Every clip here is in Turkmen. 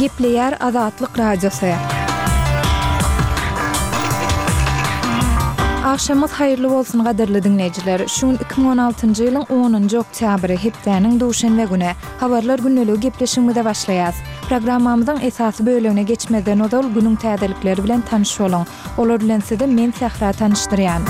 Gepleýär Azatlyk Radiosy. Agşamyňyz haýyrly bolsun gadyrly diňleýjiler! Şu gün 2016-njy ýylyň onunjy oktýabry, hepdäniň duşenbe güni. Habarlar gündeligi gepleşigimize başlaýas. Programmamyzyň esasy bölegine geçmezden ozal günüň täzelikleri bilen tanyş boluň. Olar bilen sizi men Sähra tanyşdyrýan.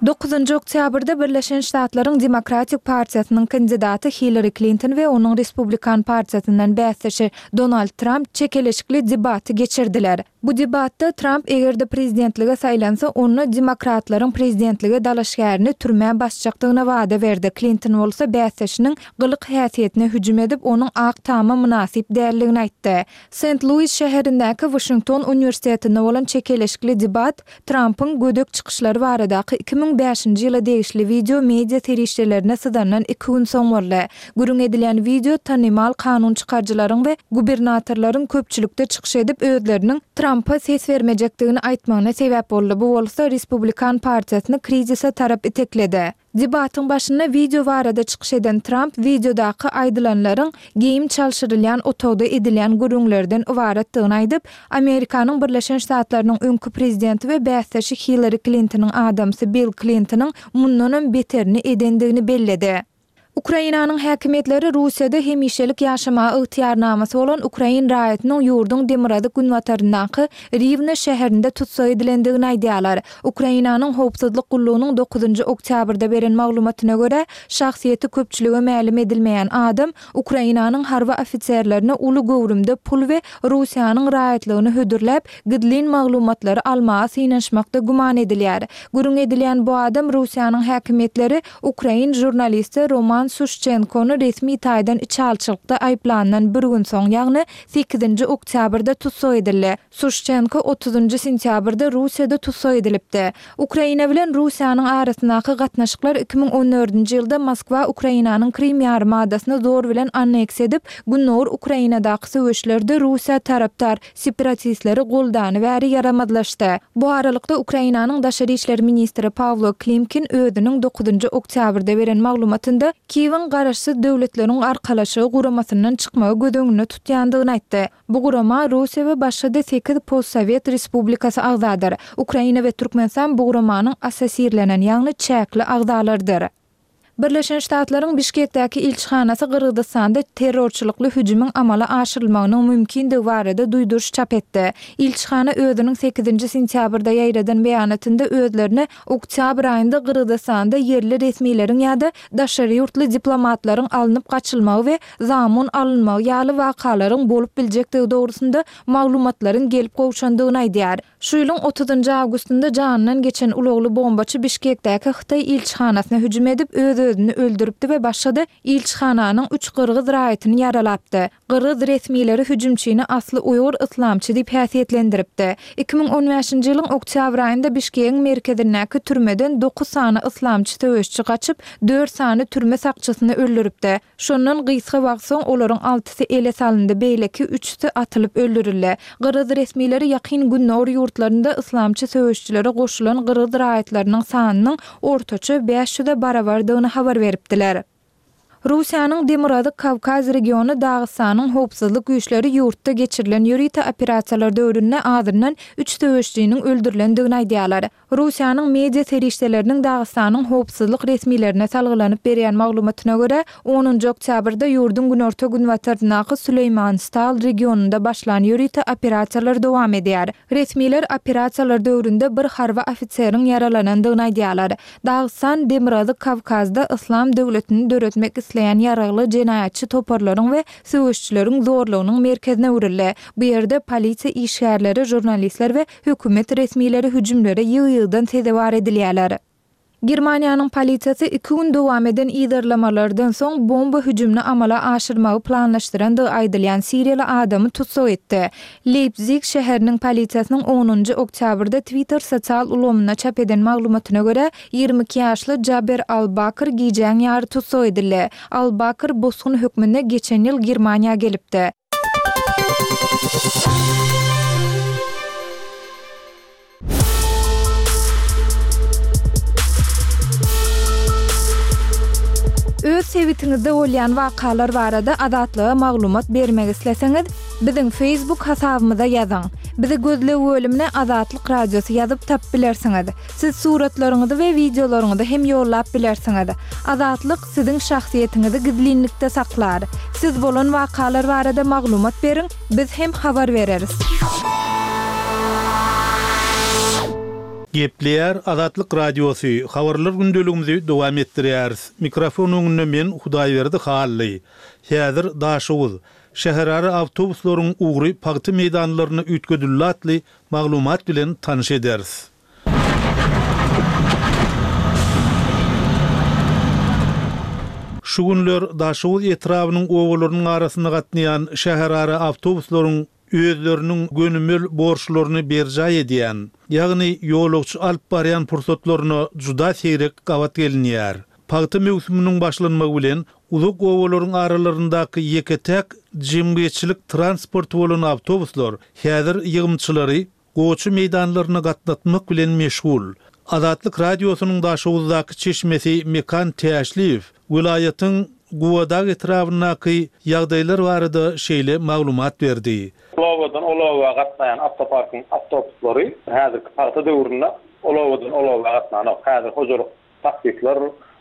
Dokuzynjy oktýabrda Birleşen Ştatlaryň Demokratik partiýasynyň kandidaty Hillari Klinton we onuň Respublikan partiýasyndan bäsdeşi Donald Tramp çekeleşikli debaty geçirdiler. Bu debatda Tramp eger-de prezidentlige saýlansa, onda demokratlaryň prezidentlige dalaşgärini türmä basjakdygyna wada berdi, Klinton bolsa bäsdeşiniň gylyk-häsiýetine hüjüm edip, onuň Ak Tama mynasyp däldigini aýtdy. Sent-Luis şäherindäki Waşington uniwersitetinde bolan çekeleşikli debat Trampyň gödek çykyşlary baradaky 2005-nji ýyla degişli wideo media serişdelerine syzandan iki gün soň boldy. Gürrüň edilýän wideo tanymal kanun çykaryjylaryň we gubernatorlaryň köpçülikde çykyş edip özleriniň Trampa ses bermejekdigini aýtmagyna sebäp boldy, bu bolsa Respublikan partiýasyny krizise tarap itekledi. Debatyň başynda wideo barada çykyş eden Tramp wideodaky aýdylanlaryň geýim çalşyrylýan otagda edilýän gürrüňlerden ybaratdygyny aýdyp, Amerikanyň Birleşen Ştatlarynyň öňki prezidenti we bäsdeşi Hillari Klintonyň adamsy Bill Klintonyň mundanam beterini edendigini belledi. Ukrainanyň häkimiýetleri Russiýada hemişelik ýaşamaga ygtyýarnamasy bolan ukrain raýatynyň ýurduň demirgazyk-günbataryndaky Riwne şäherinde tussag edilendigini aýdýarlar. Ukrainanyň Howpsuzlyk gullugynyň dokuzynjy oktýabrda beren maglumatyna görä, şahsyýeti köpçülige mälim edilmeýän adam Ukrainanyň harby ofiserlerine uly göwrümde pul we Russiýanyň raýatlygyny hödürläp, gizlin maglumatlary almaga synanyşmakda güman edilýär. Gürrüň edilýän bu adam Russiýanyň häkimiýetleri ukrain žurnalisti Roman Suşçenkony resmi taýdan içalyçylykda aýyplandan bir gün soň, ýagny sekizinji oktýabrda tussag edildi. Suşçenko otuzynjy sentýabrda Russiýada tussag edilipdi. Ukraina bilen Russiýanyň arasyndaky gatnaşyklar 2014-nji ýylda Moskwa Ukrainanyň Krym ýarymadasyny zor bilen anneksiýa edip, gündogar Ukrainadaky söweşlerde Russiýa tarapdar separatistleri goldany bäri ýaramazlaşdy. Bu aralykda, Ukrainanyň daşary işler ministri Pawlo Klimkin özüniň dokuzynjy oktýabrda beren maglumatynda Kiýewiň Garaşsyz Döwletleriň Arkalaşygy guramasyndan çykmagy göz öňünde tutýandygyny aýtdy. Bu gurama Russiýa we başga-da sekiz postsowet respublikasy agzadyr. Ukraina we Türkmenistan bu guramanyň assosirlenen, ýagny çäkli agzalarydyr. Birleşen Ştatlaryň Bişkekdäki ilçihanasy Gyrgyzystanda terrorçylykly hüjümiň amala aşyrylmagynyň mümkindigi barada duýduryş çap etdi. Ilçihana özüniň sekizinji sentýabrda ýaýradan beýanatynda özlerine oktýabr aýynda Gyrgyzystanda ýerli resmileriň ýa-da daşary ýurtly diplomatlaryň alnyp gaçylmagy we zamun alynmagy ýaly wakalaryň bolup biljekdigi dogrusynda maglumatlaryň gelip gowşandygyny aýdýar. Şu ýylyň otuzynjy awgustynda janyndan geçen ulagly bombaçy Bişkekdäki hytaý ilçihanasyna hüjüm edip, öz-özüni öldüripdi we başga-da ilçihananyň üç gyrgyz raýatyny ýaralapdy. Gyrgyz resmileri hüjümçini asly uýgur yslamçy diýip häsiýetlendiripdi. 2015-nji ýylyň oktýabr aýynda Bişkegiň merkezindäki türmeden dokuz sany yslamçy söweşçi gaçyp, dört sany türme sakçysyny öldüripdi. Şondan gysga wagt soň olaryň altysy ele salyndy, beýleki üçüsi atylyp öldürildi. Gyrgyz resmileri Ýakyn Gündogar ýurtlarynda yslamçy söweşijilere goşulan gyrgyz raýatlarynyň sanynyň ortaça bäş ýüze barabardygyny habar beripdiler. Russiýanyň Demirgazyk Kawkaz regiony Dagystanyň howpsuzlyk güýçleri ýurtda geçirilen ýörite operasiýalar döwründe azyndan üç söweşijiniň öldürilendigini aýdýarlar. Russiýanyň media serişdeleriniň Dagystanyň howpsuzlyk resmilerine salgylanyp berýän maglumatyna görä, onunjy oktýabrda ýurduň günorta-günbataryndaky Süleýmanstal regionynda başlan ýörite operasiýalar dowam edýär. Resmiler operasiýalar döwründe bir harby ofiseriň ýaralanandygyny aýdýarlar. Dagystan Demirgazyk Kawkazda Yslam döwletini döretmek isleýän ýaragly jenaýatçy toparlaryň we söweşijileriň zorlugynyň merkezine öwrüldi. Bu ýerde polisiýa işgärleri, žurnalistler we Hökümet resmileri hüjümlere ýygy-ýygydan sezewar edilýärler. Germaniýanyň polisiýasy iki gün dowam eden yzarlamalardan soň bomba hüjümini amala aşyrmagy planlaşdyrandygy aýdylýan siriýaly adamy tussag etdi. Leýpzig şäheriniň polisiýasynyň onunjy oktýabrda Twitter sosial ulgamynda çap eden maglumatyna görä, 22 ýaşly Jaber Al-Bakr gijäň ýary tussag edildi. Al-Bakr bosgun hökmünde geçen ýyl Germaniýa gelipdi. Öz sebitiňizde bolýan wakalar barada Azatlyga maglumat bermek isleseňiz, biziň Facebook hasabymyza ýazyň. Bizi gözleg bölümine Azatlyk Radiosy ýazyp tapyp bilersiňiz. Siz suratlaryňyzy we wideolaryňyzy hem ýollap bilersiňiz. Azatlyk siziň şahsyýetiňizi gizlinlikde saklar. Siz bolan wakalar barada maglumat beriň, biz hem habar bereris. Gepleýär Azatlyk Radiosy, Habarlar gündeligimizi dowam etdirýäris. Mikrofon öňünde men Hudaýberdi Hally. Häzir Daşoguz. Şäherara awtobuslaryň ugry pagta meýdanlaryna üýtgedildi atly maglumat bilen tanyş ederis. Şu günler Daşoguz etrabynyň obalarynyň arasynda gatnaýan şäherara awtobuslaryň özleriniň gönümel borçlaryny berjaý edýän, ýagny ýolagçy alyp barýan pursatlaryna juda seýrek gabat gelinýär. Pagta möwsüminiň başlanmagy bilen uzak obalaryň aralaryndaky ýeke-täk jemgyýetçilik transporty bolan awtobuslar häzir ýygymçylary gowaça meýdanlaryna gatnatmak bilen meşgul. Azatlyk Radiosynyň Daşoguzdaky çeşmesi Mekan Täşliýew welaýatyň Gubadag etrabyndaky ýagdaýlar barada şeýle maglumat berdi. Bu obadan ol oba gatnaýan awtoparkyň awtobuslary häzirki pagta döwründe ol obadan ol oba gatnanok. Häzir hojalyk Taksistler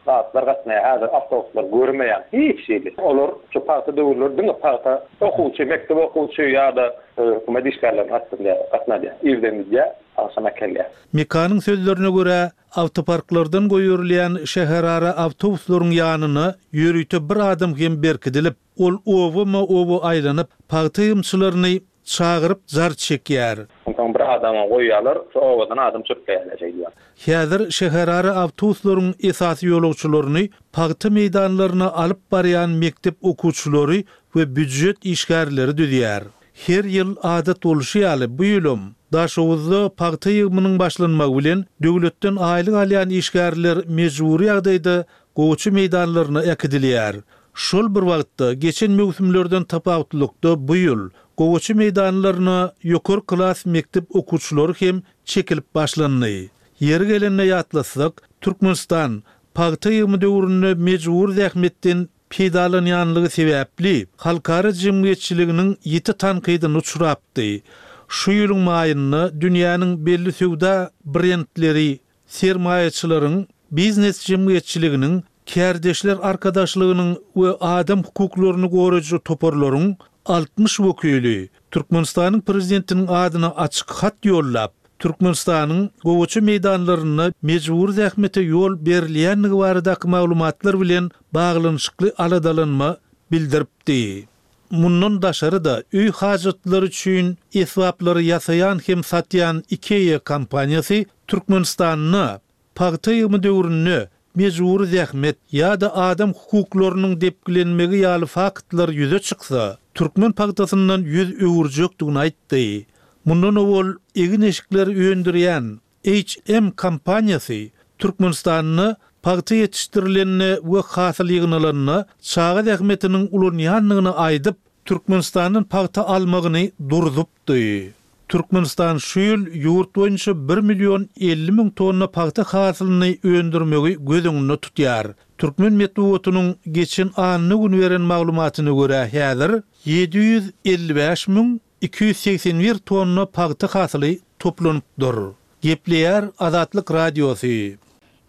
zatlar gatnaýar häzir awtobuslar görmeýäň hiç hili. Olar şu pagta döwürleri diňe pagta okuwçy mekdep okuwçy ýa-da hökümet işgärlerini gatnadýar gatnadýar. Irden gidýär agşam äkelýär. Mekanyň sözlerine görä, awtoparklardan goýberilýän şäherara awtobuslaryň ýanyna ýörite bir adam hem berkidilip, ol obama-oba aýlanyp, pagta ýygymçylaryny Çagyryp jar çekýär. Onsoň bir adama goýýarlar, şu obadan adam çöpleýärler şeýdibem. Häzir şäherara awtobuslaryň esasy ýolagçylaryny pagta meýdanlaryna alyp barýan mekdep okuwçylary we býujet işgärleri düzýär. Her ýyl adat bolşy ýaly, bu ýylam Daşoguzda pagta ýygymynyň başlanmagy bilen döwletden aýlyk alýan işgärler mejbury ýagdaýda gowaça meýdanlaryna äkidilýär. Şol bir wagtda, geçen möwsümlerden tapawutlylykda bu ýyl gowaça meýdanlaryna ýokary klas mekdep okuwçylary hem çekilip başlandy. Ýeri gelende ýatlatsak, Türkmenistan pagta ýygymy döwründe mejbury zähmetden peýdalanýanlygy sebäpli halkara jemgyýetçiliginiň ýiti tankydyna uçrapdy. Şu ýylyň maýynda dünýäniň belli söwda brendleri sermaýaçylaryň, biznes jemgyýetçiliginiň, kärdeşler arkadaşlygynyň we adam hukuklaryny goraýjy toparlaryň 60 wekili Türkmenistanyň Prezidentiniň adyna açyk hat ýollap, Türkmenistanyň gowaça meýdanlarynda mejbury zähmete ýol berilýändigi baradaky maglumatlar bilen baglanyşykly aladalanma bildiripdi. Mundan daşary-da, öý hajatlary üçin esbaplary ýasaýan hem satýan IKEA kompaniýasy Türkmenistanda pagta ýygymy döwründe mejbury zähmet ýa-da adam hukuklarynyň depgilenmegi ýaly faktlar ýüze çyksa, türkmen pagtasyndan ýüz öwürjekdigini aýtdy. Mundan owal egin-eşikleri öndürýän HM kompaniýasy Türkmenistanda pagta ýetişdirilende we hasyl ýygnalanda çaga zähmetiniň ulanýandygyny aýdyp, Türkmenistandan pagta almagyny durzupdy. Türkmenistan şu ýyl ýurt boýunça bir million 50 müň tonna pagta hasylyny öndürmegi göz öňünde tutýar. Türkmen metbugatynyň geçen anna güni beren maglumatyna görä, häzir 755 müň 281 tonna pagta hasyly toplanypdyr. Gepleýär Azatlyk Radiosy.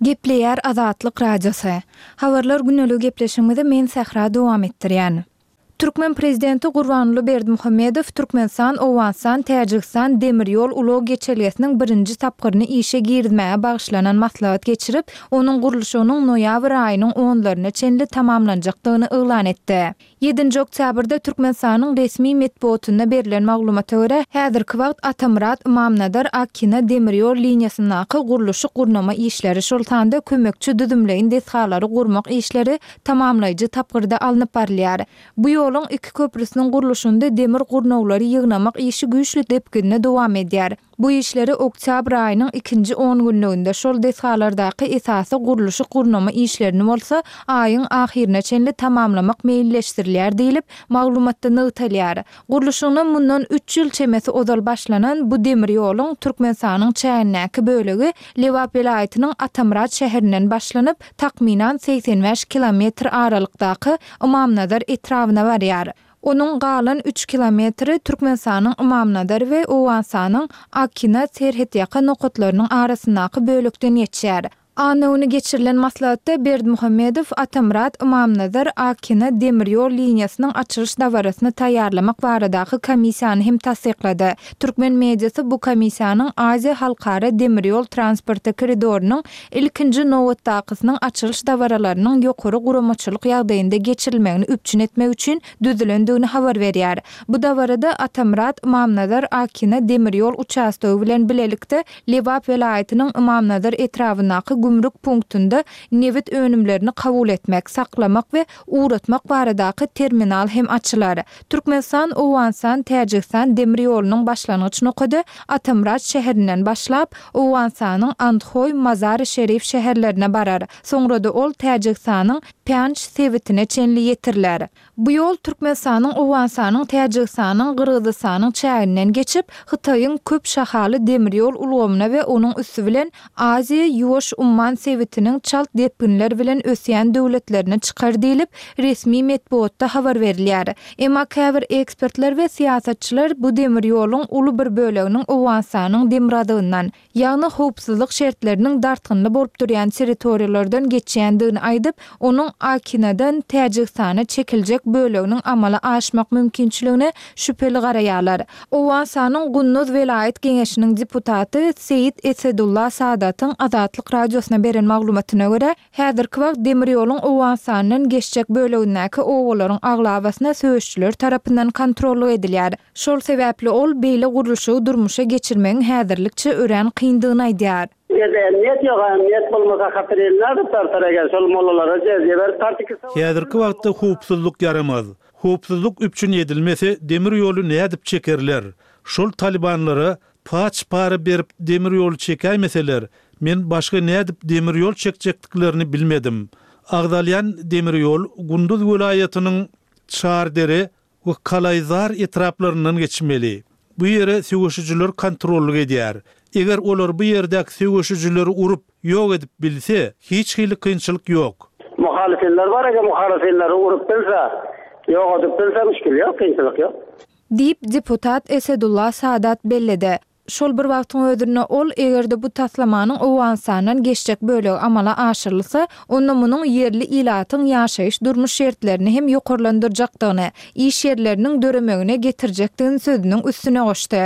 Gepleýär Azatlyk Radiosy. Habarlar gündelik gepleşigimizi men Sähra dowam etdirýän. Türkmen prezidenti Gurbanguly Berdimuhamedow Türkmenistan, Owganystan, Täjigistan demir ýol ulag geçelgesiniň birinji tapgyryny işe girizmäge bagyşlanan maslahat geçirip, onuň gurluşygynyň noýabr aýynyň onlaryna çenli tamamlanjakdygyny yglan etdi. Ýedinji oktýabrda Türkmenistanyň resmi metbugatynda berlen maglumata görä, häzirki wagt Atamyrat-Ymamnazar Akina demir ýol liniýasyndaky gurluşyk-gurnama işleri, şol sanda kömekçi düzümleýin desgalary gurmak işleri tamamlaýjy tapgyrda alnyp barylýar. Bu ýoluň iki köprüsiniň gurluşynda demir gurnawlary ýygnamak işi güýçli depginde dowam edýär. Bu işleri oktýabr aýynyň ikinji ongünlüginde, şol desgalardaky esasy gurluşyk-gurnama işlerini bolsa aýyň ahyryna çenli tamamlamak meýilleşdirilýär diýlip, maglumatda nygtalýar. Gurluşygyna mundan üç ýyl çemesi ozal başlanan bu demir ýoluň Türkmenistanyň çägindäki bölegi Lebap welaýatynyň Atamyrat şäherinden başlanyp, takmynan 85 kilometr aralykdaky Ymamnazar etrabyna barýar. Onuň galan üç kilometri Türkmenistanyň Ymamnazar we Owganystanyň Akina serhetýaka nokatlarynyň arasyndaky bölekden geçýär. Anna güni geçirilen maslahatda Berdimuhamedow Atamyrat, Ymamnazar, Akina demir ýol liniýasynyň açylyş dabarasyny taýýarlamak baradaky komissiýany hem tassyklady. Türkmen mediasy bu komissiýanyň Aziýa halkara demir ýol transporty koridorynyň ilkinji nobatdakysynyň açylyş dabaralarynyň ýokary guramaçylyk ýagdaýynda geçirilmegini üpjün etmek üçin düzülendigini habar berýär. Bu dabarada Atamyrat, Ymamnazar, Akina demir ýol uçastogy bilen bilelikde Lebap welaýatynyň Ymamnazar etrabyndaky gümrük punktynda nebit önümlerini kabul etmek, saklamak we ugratmak baradaky terminal hem açylar. Türkmenistan, Owganystan, Täjigistan demir ýolunyň başlangyç nokady Atamyrat şäherinden başlap, Owganystanyň Andhoý, Mazary-Şerif şäherlerine barar. Soňra-da ol Täjigistanyň Pýanj sebitine çenli ýetiriler. Bu ýol Türkmenistanyň, Owganystanyň, Täjigistanyň, Gyrgyzystanyň çäginden geçip, Hytaýyň köp şahaly demir ýol ulgamyna we onuň üsti bilen Aziýa, Ýuwaş umman sebitiniň çalt depginler bilen ösýän döwletlerine çykar diýlip, resmi metbugatda habar berilýär. Emma käbir ekspertler we syýasatçylar bu demir ýoluň uly bir böleginiň Owganystanyň demirgazygyndan, ýagny howpsuzlyk şertleriniň dartgynly bolup durýan territoriýalardan geçýändigini aýdyp, onuň Akinadan Täjigistana çekiljek böleginiň amala aşmak mümkinçiligine şübheli garaýarlar. Owganystanyň Gunduz welaýat geňeşiniň deputaty Seýit Esedullah Sadatyň Azatlyk Radiosyna beren maglumatyna görä, häzirki wagt demir ýoluň Owganystandan geçjek bölegindäki obalaryň aglabasyna söweşijiler tarapyndan kontrollyk edilýär. Şol sebäpli ol beýle gurluşygy durmuşa geçirmegiň häzirlikçe örän kyndygyny aýdýar. Ýerde emniýet ýok, a emniýet bolmasa hatyr elini nädip tartar eger şol mollalara jezýe berip tartyp gitse. Häzirki wagtda howpsuzlyk ýaramaz. Howpsuzlyk üpjün edilmese demir ýoly nädip çekerler? Şol talybanlara paç para berip demir ýoly çekäýmeseler, men başga nädip demir ýol çekjekdiklerini bilmedim. Agzalýan demir ýol Gunduz welaýatynyň Çardere we Kalaýzar etraplaryndan geçmeli. Bu ýere söweşijiler kontrollyk edýär. Eger olar bu ýerdäki söweşijileri urup, ýok edip bilse, hiç hili kynçylyk ýok. Muhalyfinler bar, eger muhalyfinleri urup bilse, ýok edip bilse, müşgil ýok, kynçylyk ýok. Diýip, deputat Esedullah Sadat belledi. Şol bir wagtyň özünde ol, eger-de bu taslamanyň Owganystandan geçjek bölegi amala aşyrylsa, onda munuň ýerli ilatyň ýaşaýyş-durmuş şertlerini hem ýokarlandyrjakdygyny, iş ýerleriniň döremegine getirjekdigini sözüniň üstüne goşdy.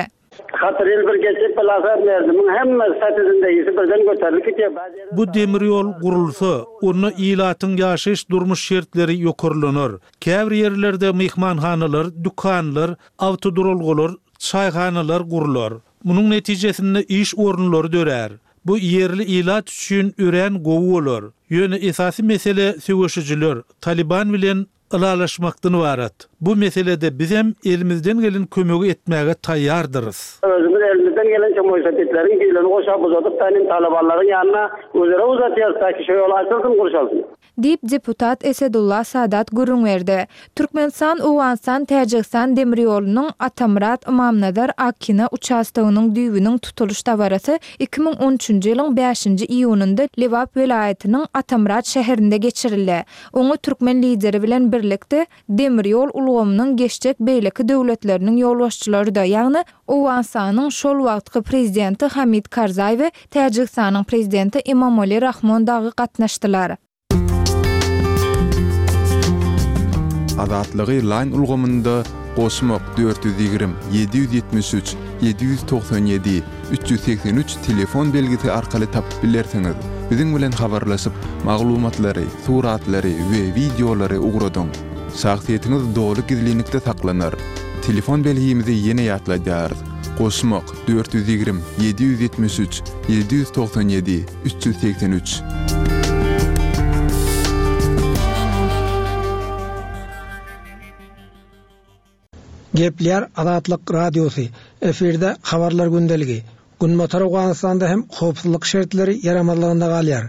Hatyr ýyl bir geçip bilasa merdimiň hemme statüsindegisi birden göterilip gitýär. Bu demir ýol gurulsa, onda ilatyň ýaşaýyş-durmuş şertleri ýokarlanar. Käbir ýerlerde myhmanhanalar, dükanlar, awtoduralgalar, çaýhanalar gurlar. Munuň netijesinde iş orunlary dörär. Bu ýerli ilat üçin örän gowy bolar. Ýöne esasy mesele söweşijiler, Talyban bilen ylalaşmakdan ybarat. Bu meselede bizem elimizden gelen kömegi etmäge taýýardyrys. Özümiz elimizden gelençe moýsepidleriň düýlerini goşap uzadyp tanim talybanlaryň ýanyna özere uzatýarys taki şo ýol açylsyn gurşalsyn. Diýip, deputat Esedullah Sadat gürrüň berdi. Türkmenistan, Owganystan, Täjigistan demir ýolunyň Atamyrat, Ymamnazar, Akina uçastogynyň düýbüniň tutulyş dabarasy 2013-nji ýylyň bäşinji iýunynda Lebap welaýatynyň Atamyrat şäherinde geçirildi. Oňa türkmen Lideri bilen birlikde demir ýol ulgamynyň geçjek beýleki döwletleriniň ýolbaşçylary-da, ýagny Owganystanyň şol wagtky prezidenti Hamid Karzaý we Täjigistanyň prezidenti Emomali Rahmon dagy gatnaşdylar. Azatlygy Line ulgamynda goşmak 420 773 797 383 telefon belgisi arkaly tapyp bilersiňiz. Biziň bilen habarlaşyp, maglumatlary, suratlary we wideolary ugradyň. Şahsyýetiňiz doly gizlinlikde saklanar. Telefon belgimizi ýene ýatladýarys, goşmak, 420 773 797 383. Gepleýär Azatlyk Radiosy, efirde Habarlar gündeligi. Günbatar Owganystanda hem howpsuzlyk şertleri ýaramazlygynda galýar.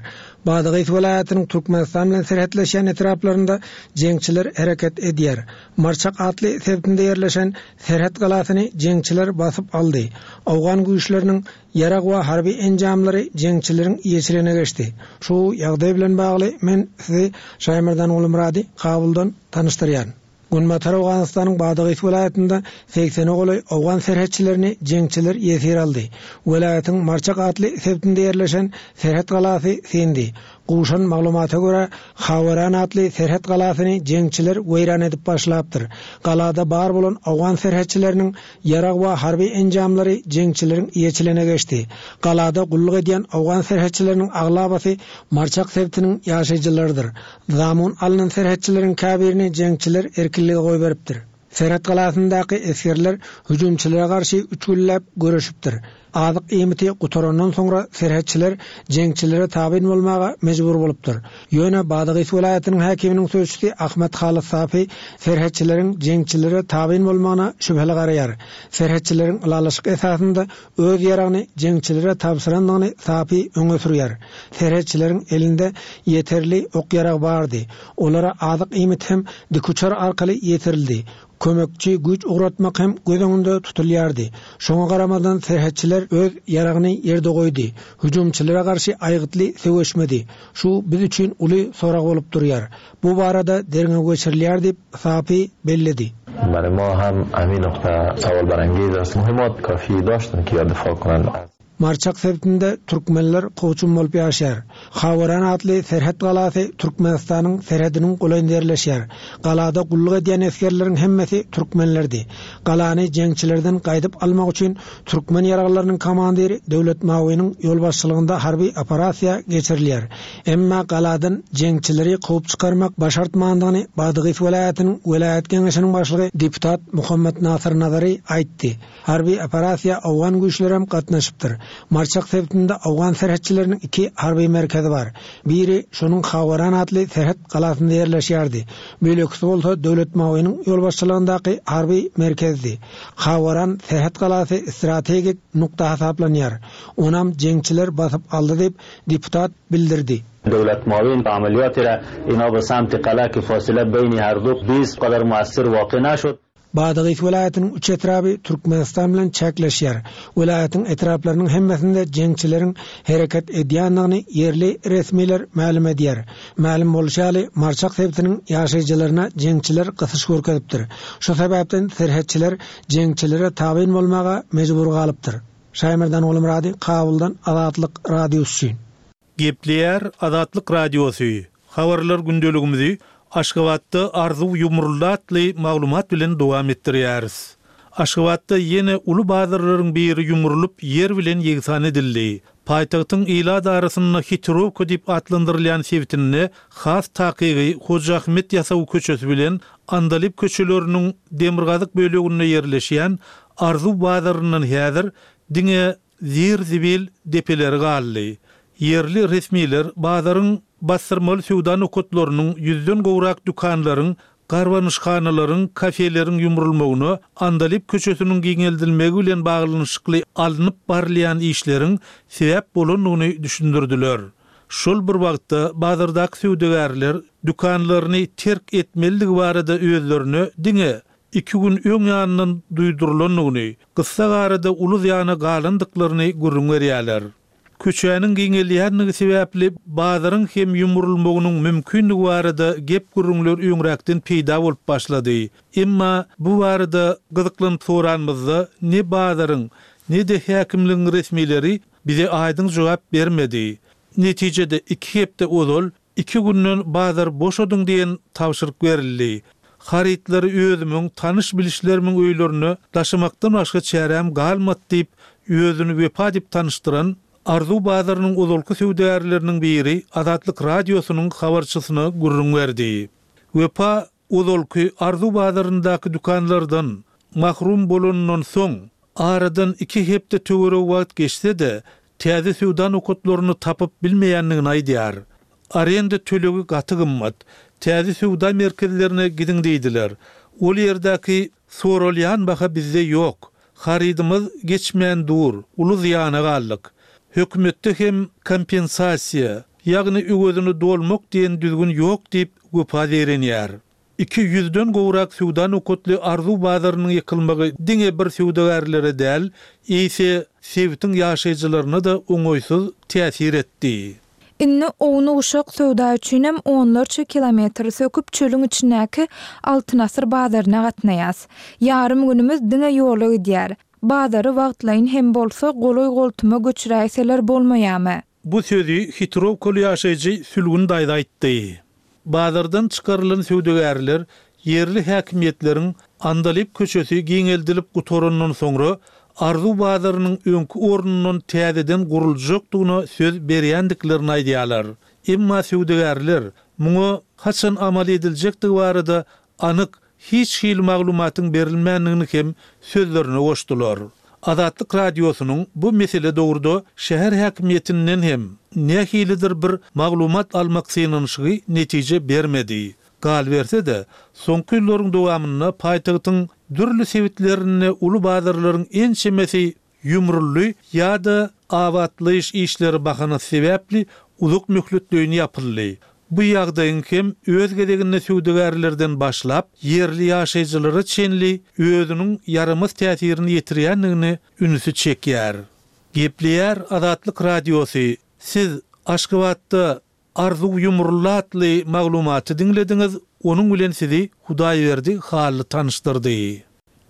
Badagys welaýatynyň Türkmenistan bilen serhetleşýän etraplarynda jeňçiler hereket edýär. Marçak atly sebitinde ýerleşen serhet galasyny jeňçiler basyp aldy. Owgan güýçleriniň ýarag we harby enjamlary jeňçileriň eýeçiligine geçdi. Şu ýagdaý bilen bagly men sizi Şaýmerdan Gulumyrady Kabuldan tanyşdyrýaryn. Günbatar Owganystanyň Badagys welaýatynda segsene golaý owgan serhetçilerini jeňçiler ýesir aldy. Welaýatyň Marçak atly sebitinde ýerleşen serhet galasy syndy. Gowşan maglumata görä, Haweran atly serhet galasyny jeňçiler weýran edip başlapdyr. Galada bar bolan owgan serhetçileriniň ýarag we harby enjamlary jeňçileriň eýeçiligine geçdi. Galada gulluk edýän owgan serhetçileriniň aglabasy Marçak sebitiniň ýaşaýjylarydyr. Zamun alnan serhetçileriň käbirini jeňçiler erkinlige goýberipdir. Serhet galasyndaky esgerler hüjümçilere garşy üç günläp göreşipdir. Azyk iýmiti gutarandan soňra serhetçiler jeňçilere tabyn bolmaga mejbur bolupdyr. Ýöne Badagys welaýatynyň häkiminiň sözçüsi Ahmet Halyt Safi serhetçileriň jeňçilere tabyn bolmagyna şübheli garaýar. Serhetçileriň ylalaşyk esasynda öz ýaragyny jeňçilere tabşyrandygyny Safi öňe sürýär. Serhetçileriň elinde ýeterli ok-ýarag bardy. Olara azyk-iýmit hem dikuçar arkaly ýetirildi. Kömekçi güýç ugratmak hem göz öňünde tutulýardy. Şoňa garamazdan serhetçiler öz ýaragyny ýerde goýdy. Hüjümçilere garşy aýgytly söweşmedi. Şu biz üçin uly sorag bolup durýar. Bu barada derňew geçirilýär diýip, Safi belledi. برای ما هم همین نقطه سوال برانگیز است. مهمات کافی داشتند که یا دفاع کنند از. Marçak sebitinde türkmenler kowçum bolup ýaşaýar. Haweran atly serhet galasy Türkmenistanyň serhediniň golaýynda ýerleşýär. Galada gulluk edýän esgerleriň hemmesi türkmenlerdi. Galany jeňçilerden gaýdyp almak üçin türkmen ýaraglylarynyň komandiri Döwlet Mawynyň ýolbaşçylygynda harby operasiýa geçirilýär. Emma galadan jeňçileri kowup çykarmak başartmandygyny Badygys welaýatynyň welaýat geňeşiniň başlygy deputat Muhammet Nasyr Nazary aýtdy. Harby operasiýa owgan güýçlerem gatnaşypdyr. Marçak sebitinde owgan serhetçileriniň iki harby merkezi bar. Biri şonuň Hawaran atly serhet galasynda ýerleşýärdi. Beýlekisi bolsa Döwlet Mawynyň ýolbaşçylygyndaky harby merkezdi. Hawaran serhet galasy strategik nukta hasaplanýar. Onam jeňçiler basyp aldy diýip, deputat bildirdi. دولت معاون عملیات را اینا به سمت قلعه که فاصله بین هر دو 20 قدر مؤثر واقع نشد. Badagys welaýatynyň üç etraby Türkmenistan bilen çäkleşýär. Welaýatyň etraplarynyň hemmesinde jeňçileriň hereket edýändigini ýerli resmiler mälim edýär. Mälim bolşy ýaly, Marçak sebitiniň ýaşaýjylaryna jeňçiler gysyş görkezipdir. Şu sebäpden serhetçiler jeňçilere tabyn bolmaga mejbur galypdyr. Şaýmerdan Gulmyrady, Kabuldan Azatlyk Radiosy üçin. Gepleýär Azatlyk Radiosy, Habarlar gündeligimizi Aşgabatda Arzuw ýumruldy atly maglumat bilen dowam etdirýäris. Aşgabatda ýene uly bazarlaryň biri ýumrulyp ýer bilen ýegsan edildi. Paýtagtyň ilat arasynda Hitrowka diýip atlandyrylýan sebitinde, has takygy Hoja Ahmet Ýasawy köçesi bilen Andalyp köçeleriniň demirgazyk böleginde ýerleşýän Arzuw bazaryndan häzir diňe zir-zibil depeleri galdy. Ýerli resmiler bazaryň bassyrmaly söwda nokatlarynyň, ýüzden gowrak dükanlaryň, garbanyşhanalaryň, kafeleriň ýumrulmagyna Andalyp köçesiniň giňeldilmegi bilen baglanyşykly alnyp barylýan işleriň sebäp bolandygyny düşündirdiler. Şol bir wagtda, bazardaky söwdagärler dükanlaryny terk etmelidigi barada özlerine diňe iki gün öň ýanyndan duýdurylandygyny, gyssagarada uly zyýana galandyklaryny gürrüň berýärler. Köçäniň giňelýändigi sebäpli bazaryň hem ýumrulmagynyň mümkindigi barada gep-gürrüňler öňräkden peýda bolup başlady. Emma bu barada gyzyklanyp soranymyzda ne bazaryň, ne-de häkimligiň resmileri bize aýdyň jogap bermedi. Netijede iki hepde ozal Iki günden bazary boşadyň diýen tabşyryk berildi. Harytlary özümiň, tanyş-bilişlerimiň öýlerine daşamakdan başga çäräm galmady diýip, özüni Wepa diýip tanyşdyran, Arzuw bazarynyň ozalky söwdagärleriniň biri Azatlyk Radiosynyň habarçysyna gürrüň berdi. Wepa Ozalky Arzuw bazaryndaky dükanlardan mahrum bolanyndan soň, aradan iki hepde töweregi wagt geçse-de, täze söwda nokatlaryny tapyp bilmeýändigini aýdýar. Arenda tölegi gaty gymmat. Täze söwda merkezlerine gidiň diýdiler. Ol ýerdäki soralýan baha bizde ýok. Harydymyz geçmän dur, uly zyýana galdyk. Hökümetde hem kompensasiýa, ýagny öwezini dolmak diýen düzgün ýok diýip, Wepa zeýrenýär. 200-den gowrak söwda nokatly Arzuw bazarynyň ýykylmagy diňe bir söwdagärlere däl, eýse sebitiň ýaşaýjylaryna-da oňaýsyz täsir etdi. Indi ownuk-uşak söwda üçinem onlarça kilometr söküp çölüň içindäki Altyn asyr bazaryna gatnaýas. Ýarym günümiz diňe ýola gidýär. Bazary wagtlaýyn hem bolsa golaý-goltuma göçüräýseler bolmaýamy? Bu sözi Hitrowkaly ýaşaýjy Sülgün daýza aýtdy. Bazardan çykarylan söwdagärler ýerli häkimiýetleriň Andalyp köçesi giňeldilip gutarandan soňra Arzuw bazarynyň öňki ornundan täzeden guruljakdygyna söz berýändiklerini aýdýarlar. Emma söwdagärler muňa haçan amal ediljekdigi barada anyk hiç hili maglumatyň berilmändigini hem sözlerine goşdular. Azatlyk Radiosynyň bu mesele dogruda şäher häkimiýetinden hem nähilidir bir maglumat almak synanyşygy netije bermedi. Galyberse-de, soňky ýyllaryň dowamynda paýtagtyň dürli sebitlerinde uly bazarlaryň ençemesi ýumruldy ýa-da abatlaýyş işleri bahanasy sebäpli uzak möhletleýin ýapyldy. Bu ýagdaýyň hem öz gezeginde söwdagärlerden başlap, ýerli ýaşaýjylara çenli özüniň ýaramaz täsirini ýetirýändigine ünsi çekýär. Gepleýär Azatlyk Radiosy, Siz Aşgabatda Arzuw ýumruldy atly maglumaty diňlediňiz, onuň bilen sizi Hudaýberdi Hally tanyşdyrdy.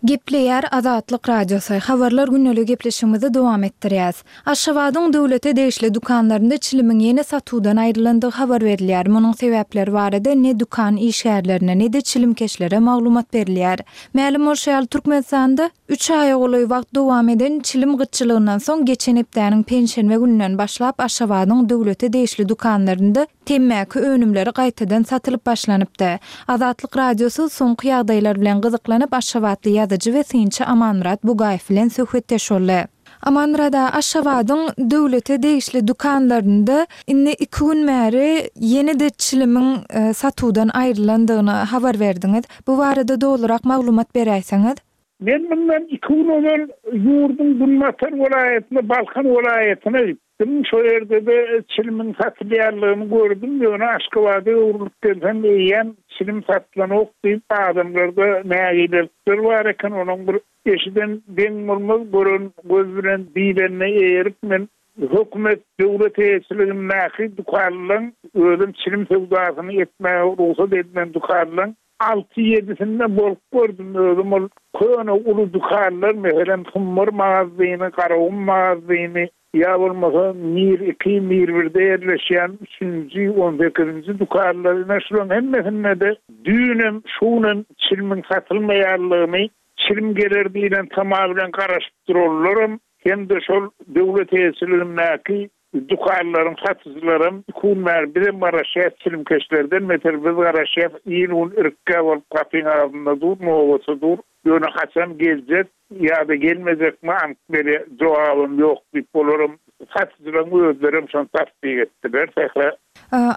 Gepleýär Azatlyk Radiosy, Habarlar gündeliği gepleşigimizi dowam etdirýäs. Aşgabadyň döwlete degişli dükanlarynda çilimiň ýene satuwdan aýrylandygy habar berilýär. Munuň sebäpleri barada ne dükan işgärlerine, ne-de çilimkeşlere maglumat berilýär. Mälim bolşy ýaly, Türkmenistanda Üç aýa golaý wagt dowam eden çilim gytçylygyndan soň geçen hepdäniň penşenbe gününden başlap Aşgabadyň döwlete degişli dükanlarynda temmäki önümleri gaýtadan satylyp başlanypdy. Azatlyk Radiosy soňky ýagdaýlar bilen gyzyklanyp aşgabatly ýazyjy we synçy Amanmyrat Bugaýew bilen söhbetdeş boldy. Amanmyrat aga, Aşgabadyň döwlete degişli dükanlarynda indi iki gün bäri ýene-de çilimiň satuwdan aýrylandygyny habar berdiňiz. Bu barada dolurak maglumat beräýseňiz? Men mundan iki gün ozal ýurduň günbatar welaýatyna, Balkan welaýatyna gitdim. Şo ýerde-de çilimiň satylýanlygyny gördüm. Ýöne Aşgabada öwrülip gelsem, eýýäm çilim satylanok diýip, adamlarda nägilelikler bar eken. Onuň bir eşiden deň bolmaz, gören göz bilen diýlenine eýerip, men hökümet, döwlet eýeçiligindäki dükanlaryň, özem çilim söwdasyny etmäge rugsat edilen dükanlaryň Alty-ýedisinde bolup gördüm özüm ol köne uly dükanlar meselem Sumbar magazyny, Garagum magazyny ýa bolmasa Mir iki, Mir birde ýerleşýän üçünji, on sekizinji dükanlar ine şularyň hemmesinde-de düýnem, şu günem çilimiň satylmaýanlygyny, çilim geler diýlen tama bilen garaşyp duranlaram hem-de şol döwlet eýeçiligindäki Dükanlaryň satyjylaram iki gün bäri bizem garaşýas çilimkeşlerden beter biz garaşýas il gün irkgä bolup gapyň agzynda dur nobata dur ýöne haçan geljek ýada gelmejekmi anyk bere jogabam ýok diýip olaram satyjylaryň özlerem şony tassyk etdiler Sähra.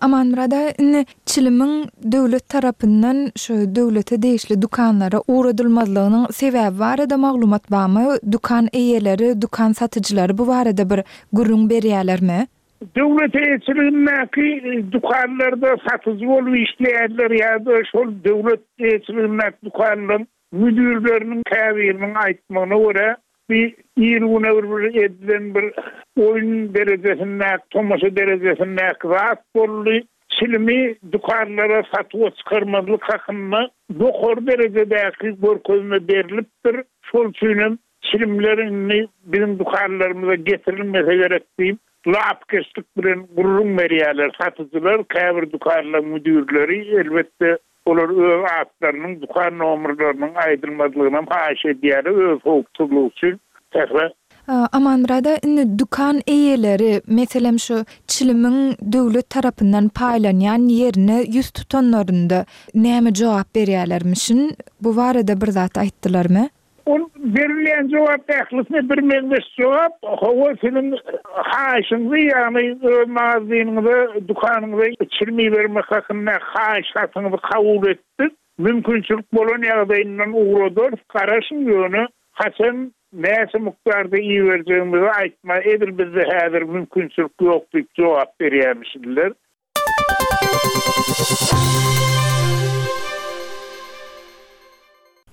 Amanmyrat aga indi çilimiň döwlet tarapyndan şu döwlete degişli dükanlara ugradylmazlygynyň sebäbi barada maglumat barmy? Dükan eýeleri, dükan satyjylary bu barada bir gürrüň berýärlermi? Döwlet eýeçiligindäki dükanlarda satyjy bolup işleýänler ýa-da şol döwlet eýeçiligindäki dükanlaryň Müdirleriniň käbiriniň aýtmagyna görä, bu ir-güne bir bir edilen bir oýun derejesindäki, tomaşa derejesindäki zat boldy. Çilimi dükanlara satuwa çykarmazlyk hakynda ýokary derejedäki görkezme berlipdir. Şol üçinem çilimler indi biziň dükanlarymyza getirilmese gerek diýip, lapykeçlik bilen gürrüň berýärler satyjylar, käbir dükanlaryň müdirleri, elbetde, Olar öz atlarynyň, dükan nomerleriniň aýdylmazlygynam haýyş edýärler öz howpsuzlygy üçin. Sähra. Amanmyrat aga, indi dükan eýeleri, meselem, şu çilimiň döwlet tarapyndan paýlanýan ýerine ýüz tutanlarynda näme jogap berýärlermişin? Bu barada bir zat aýtdylarmy? Ol berilýän jogap ählisine birmeňzeş jogap, hawa siziň haýyşyňyzy, ýagny öz magazynyňyza, dükanyňyza çilim ibermek hakynda haýyş hatyňyzy kabul etdik. Mümkinçilik bolan ýagdaýyndan ugradarys, garaşyň, ýöne haçan. Näçe mukdarda iberjegimizi aýtma, edil bizde häzir mümkinçilik ýok diýip jogap berýärmişdiler.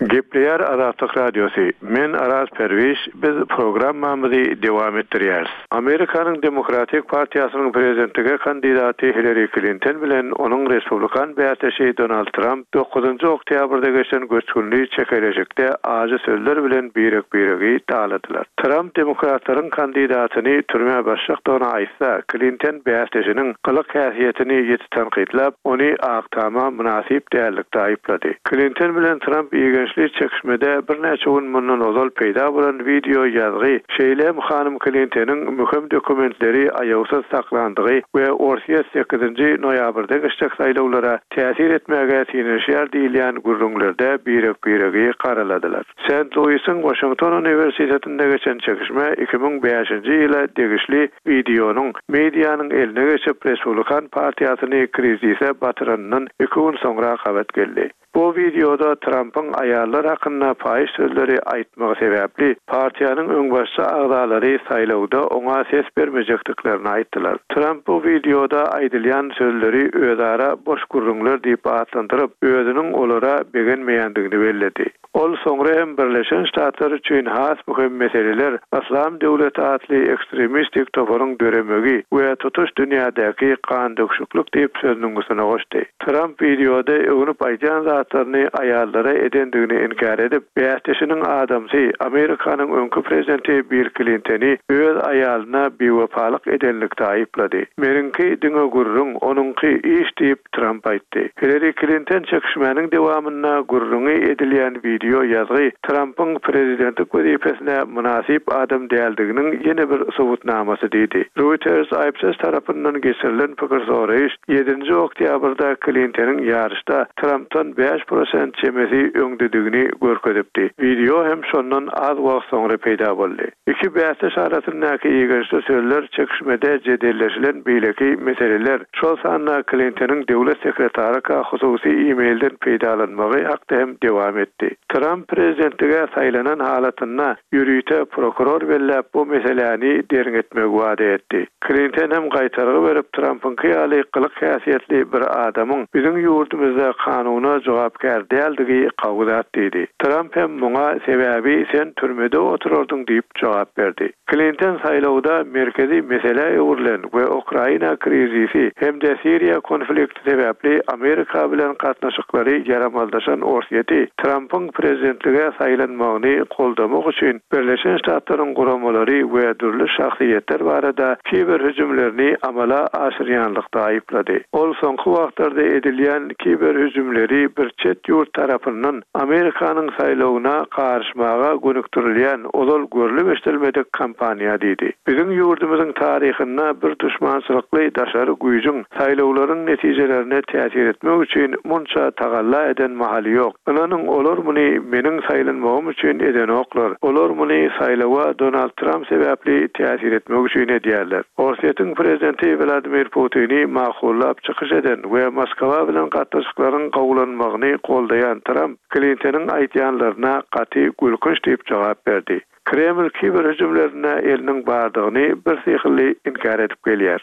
Gepleýär Azatlyk Radiosy, Men Araz Perwiş, biz programmamyzy dowam etdirýäris. Amerikanyň Demokratik partiýasynyň prezidentlige kandidaty Hillari Klinton bilen onuň respublikan bäsdeşi Donald Tramp dokuzynjy oktýabrda geçen göçgünli çekeleşikde ajy sözler bilen birek-biregi daladylar. Tramp demokratlaryň kandidatyny türmä basjakdygyny aýtsa, Klinton bäsdeşiniň gylyk-häsiýetini ýiti tankytlap, ony Ak Tama mynasyp dällikde aýyplady. Klinton bilen Tramp igençli çekişmede birnäçe gün mundan ozal peýda bolan wideo ýazgy, şeýle hem hanym Klintonyň möhüm dokumentleri aýawsyz saklandygy we Orsýet sekizinji noýabrda geçjek saýlawlara täsir etmäge synanyşýar diýilýän gürrüňlerde birek-biregi garaladylar. Sent-Luisiň Waşington uniwersitetinde geçen çekişme 2005-nji ýyla degişli wideonyň medianyň eline geçip, Respublikan partiýasyny krizise batyranyndan iki gün soňra gabat geldi. Bu wideoda Trampyň aýallar hakynda paýyş sözleri aýtmagy sebäpli, partiýanyň öňbaşçy agzalary saýlawda oňa ses bermejekdiklerini aýtdylar. Tramp bu wideoda aýdylýan sözleri özara boş gürrüňler diýip atlandyryp, özüniň olara begenmeýändigini belledi. Ol soňra hem Birleşen Ştatlar üçin has möhüm meseleler Yslam döwleti atly ekstremistik toparyň döremegi we tutuş dünýädäki gandöküşiklik diýip sözüniň üstüne goşdy. Tramp wideoda öwnüp aýdýan zatlaryny aýallara edendigini inkär edip, bäsdeşiniň adamsy, Amerikanyň öňki prezidenti Bill Klinteni öz aýalyna biwepalyk edenlikde aýyplady. Meniňki diňe gürrüň, onuňky iş diýip, Tramp aýtdy. Hillari Klinton çekişmäniň dowamynda gürrüňi edilýän wideo ýazgy Trampyň prezidentlik wezipesine mynasyp adam däldiginiň ýene bir subutnamasy diýdi. Reuters Ipsos tarapyndan geçirilen pikir soraýyş ýedinji oktýabrda Klintonyň ýaryşda Trampdan 5% çemesi öňdedigini görkezipdi. Wideo hem şondan az wagt soňra peýda boldy. Iki bäsdeş arasyndaky igençli sözler çekişmede jedelleşilen beýleki meseleler, şol sanda Klintonyň döwlet sekretaryka hususy e-mailden peýdalanmagy hakda hem dowam etdi. Tramp prezidentlige saýlanan halatynda ýörite prokuror belläp bu meseläni derňetmegi wada etdi. Klinton hem gaýtargy berip Trampyňky ýaly gylyk-häsiýetli bir adamyň biziň ýurdumyzda kanuna jogapkär däldigi gawy zat diýdi. Tramp hem muňa sebäbi sen türmede oturardyň diýip jogap berdi. Klinton saýlawda merkezi meselä öwrülen we Ukraina krizisi hem-de Siriýa konflikti sebäpli Amerika bilen gatnaşyklary ýaramazlaşan Orsýeti Trampyň prezidentlige saýlanmagyny goldamak üçin Birleşen Ştatlaryň guramalary we dürli şahsyýetler barada kiber hüjümlerini amala aşyrýanlykda aýyplady. Ol soňky wagtlarda edilýän kiber hüjümleri bir çet ýurt tarapyndan Amerikanyň saýlawyna garyşmaga gönükdirilýän ozal görlüp-eşidilmedik kampaniýa diýdi. Biziň ýurdumyzyň taryhynda bir duşmançylykly daşary güýjüň saýlawlaryň netijelerine täsir etmek üçin munça tagalla eden mahaly ýok. Ynanyň, olar muny meniň saýlanmagym üçin edenoklar. Olar muny saýlawa Donald Tramp sebäpli täsir etmek üçin edýärler. Orsýetiň prezidenti Wladimir Putini makullap çykyş eden we Moskwa bilen gatnaşyklaryň gowulanmagyny goldaýan Tramp Klintonyň aýdýanlaryna gaty gülkünç diýip jogap berdi. Kreml kiber hüjümlerinde eliniň bardygyny birsyhly inkär edip gelýär.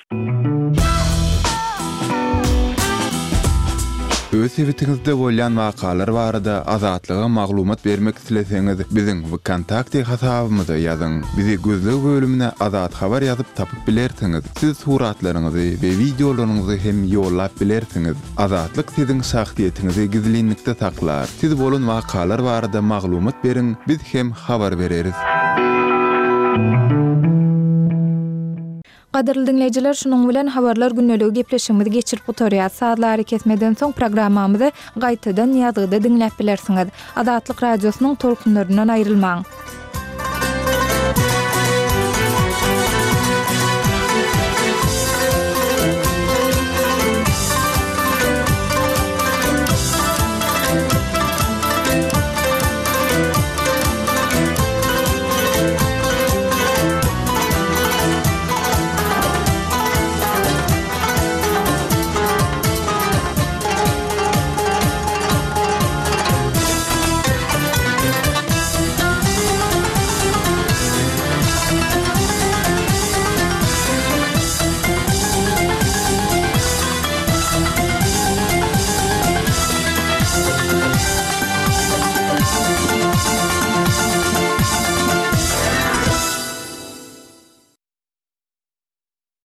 Öz sebitiňizde bolýan wakalar barada Azatlyga maglumat bermek isleseňiz, biziň Wkontakte hasabymyza ýazyň. Bizi gözleg bölümine Azat Habar ýazyp tapyp bilersiňiz. Siz suratlaryňyzy we wideolaryňyzy hem ýollap bilersiňiz. Azatlyk siziň şahsyýetiňizi gizlinlikde saklar. Siz bolan wakalar barada maglumat beriň, biz hem habar bereris. Gadyrly diňleýjiler, şunuň bilen Habarlar gündeligi gepleşigimizi geçirip gutarýas. Sazly arakesmeden soň programmamyzy gaýtadan ýazgyda diňläp bilersiňiz. Azatlyk Radiosynyň tolkunlaryndan aýrylmaň!